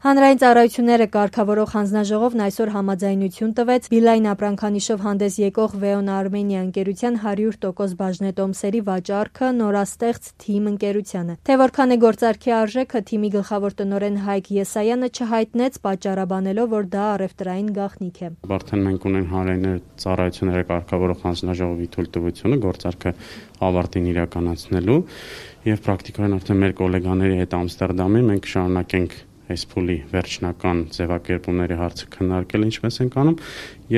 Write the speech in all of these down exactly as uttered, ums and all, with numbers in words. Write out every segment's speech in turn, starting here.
Հանրային ծառայությունները կարգավորող հանձնաժողովն այսօր համաձայնություն տվեց Beeline ապրանքանիշով հանդես եկող Veon Armenia ընկերության հարյուր տոկոս բաժնետոմսերի վաճառքը նորաստեղծ թիմ ընկերությանը։ Թե որքան է գործարքի արժեքը, թիմի գլխավոր տնօրեն Հայկ Եսայանը չհայտնեց, պատճառաբանելով, որ դա առևտրային գաղտնիք է։ Արդեն մենք ունենք հանրային ծառայությունները կարգավորող հանձնաժողովի թույլտվությունը գործարքը ավարտին իրականացնելու եւ պրակտիկորեն արդեն մեր գոլեգաների հետ Ամստերդամի մենք շարունակենք այս փուլի վերջնական ձևակերպումների հարցը քննարկել ինչպես ենք անում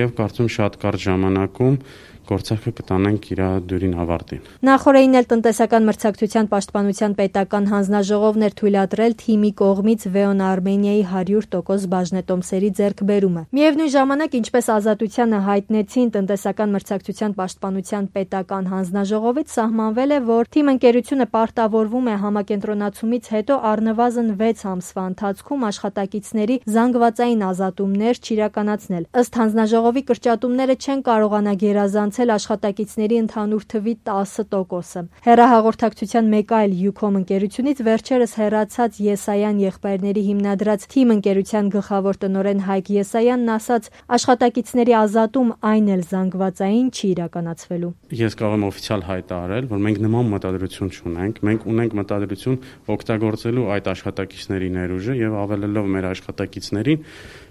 եւ կարծում շատ կարճ ժամանակում գործարքը կտանենք իր դյուրին ավարտին։ Նախորդին էլ տնտեսական մրցակցության պաշտպանության պետական հանձնաժողովն էր թույլատրել թիմի կողմից Veon Armenia-ի հարյուր տոկոս բաժնետոմսերի ձեռքբերումը։ Միևնույն ժամանակ, ինչպես Ազատությանը հայտնեցին, տնտեսական մրցակցության պաշտպանության պետական հանձնաժողովից սահմանվել է, որ թիմ ընկերությունը պարտավորվում է համակենտրոնացումից հետո առնվազն վեց ամսվա ընթացքում աշխատակիցների զանգվածային ազատումներ չիրականացնել։ Ըստ հանձնաժողովի, կրճատումները չեն կարողանա գերազանցել աշխատակիցների ընդհանուր թվի տասը տոկոսը։ Հեռահաղորդակցության մեկ այլ Ucom ընկերությունից վերջերս հեռացած Եսայան եղբայրների հիմնադրած թիմ ընկերության գլխավոր տնօրեն Հայկ Եսայանն ասաց, աշխատակիցների ազատում այն էլ զանգվածային չի իրականացվելու։ Ես կարող եմ օֆիցիալ հայտարարել, որ մենք նման մտադրություն չունենք, մենք ունենք մտադրություն օգտագործելու այդ աշխատակիցների ներուժը եւ ավելելով մեր աշխատակիցներին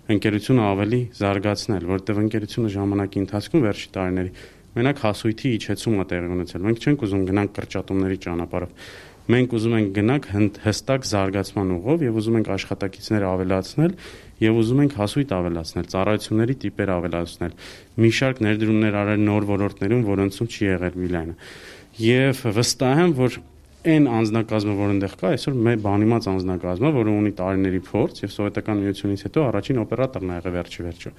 ընկերությունը ավելի զարգացնել, որտեղ ընկերությունը ժամանակի ընթացքում վերջի տարիների մենակ հասույթի իջեցում է տեղի ունեցել։ Մենք չենք ուզում գնանք կրճատումների ճանապարհով։ Մենք ուզում ենք գնանք հստակ զարգացման ուղով եւ ուզում ենք աշխատակիցները ավելացնել եւ ուզում ենք հասույթ ավելացնել, ծառայությունների տիպեր ավելացնել։ Մի շարք ներդրումներ արել նոր ոլորտներում, որոնցում չի եղել Beeline-ը։ Եվ վստահ եմ, որ այն անձնակազմը, որ այնտեղ կա, այսօր մեր բանիմաց անձնակազմը, որը ունի տարիների փորձ եւ սովետական միությունից հետո առաջին օպերատորն ա եղել վերջի վերջո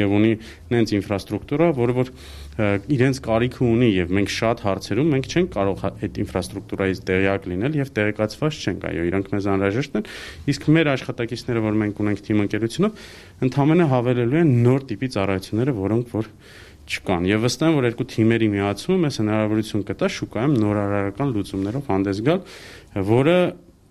եւ ունի նենց ինֆրաստրուկտուրա, որը որ իրենց կարիքը ունի եւ մենք շատ հարցերում մենք չենք կարող այդ ինֆրաստրուկտուրայից տեղյակ լինել եւ տեղեկացված չենք, այո, իրանք մեզ անհրաժեշտ են, իսկ մեր աշխատակիցները, որ մենք ունենք թիմ ընկերությունով, ընդհանրապես հավելելու են նոր տիպի ծառայությունները, որոնք որ չկան եւ վստահ եմ, որ երկու թիմերի միացումը մեզ հնարավորություն կտա շուկայում նորարարական լուծումներով հանդես գալ, որը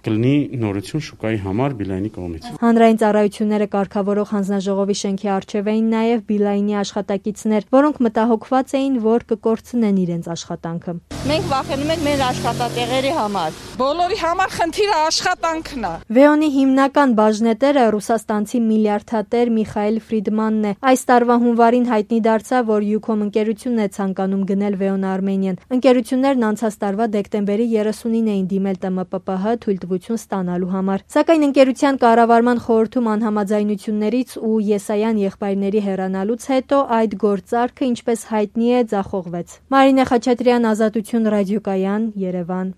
կլինի նորություն շուկայի համար Beeline-ի կողմից։ Հանրային ծառայությունները կարգավորող հանձնաժողովի շենքի առջև էին նաև Beeline-ի աշխատակիցներ, որոնք մտահոգված էին, որ կկորցնեն իրենց աշխատանքը։ Մենք վախենում ենք մեր աշխատատեղերի համար։ Բոլորի համար խնդիրը աշխատանքն է։ Veon-ի հիմնական բաժնետերը ռուսաստանցի միլիարդատեր Միխայել Ֆրիդմանն է։ Այս տարվա հունվարին հայտնի դարձավ, որ Ucom ընկերությունն է ցանկանում գնել Veon Armenian։ Ընկերություններն անցած տարվա դեկտեմբերի երեսունին էին դիմել Տ M P P H թույլտվություն ստանալու համար։ Սակայն ընկերության կառավարման խորհրդում անհամաձայնություններից ու Եսայան եղբայրների հեռանալուց հետո այդ գործարքը, ինչպես հայտնի է, ձախողվեց։ Մարինե Խաչատրյան, Ազատություն ռադիոկայան, Երևան։